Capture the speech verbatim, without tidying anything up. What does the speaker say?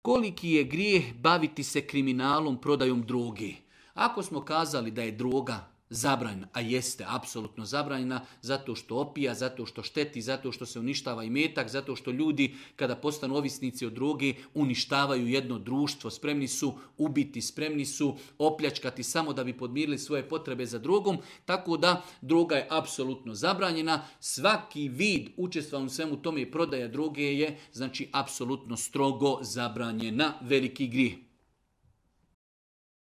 Koliki je grijeh baviti se kriminalom, prodajom droge? Ako smo kazali da je droga zabranjena, a jeste apsolutno zabranjena, zato što opija, zato što šteti, zato što se uništava imetak, zato što ljudi kada postanu ovisnici od droge uništavaju jedno društvo, spremni su ubiti, spremni su opljačkati samo da bi podmirili svoje potrebe za drogom, tako da droga je apsolutno zabranjena. Svaki vid učestvovanja u svemu tome i prodaja droge je znači apsolutno strogo zabranjena, veliki grijeh.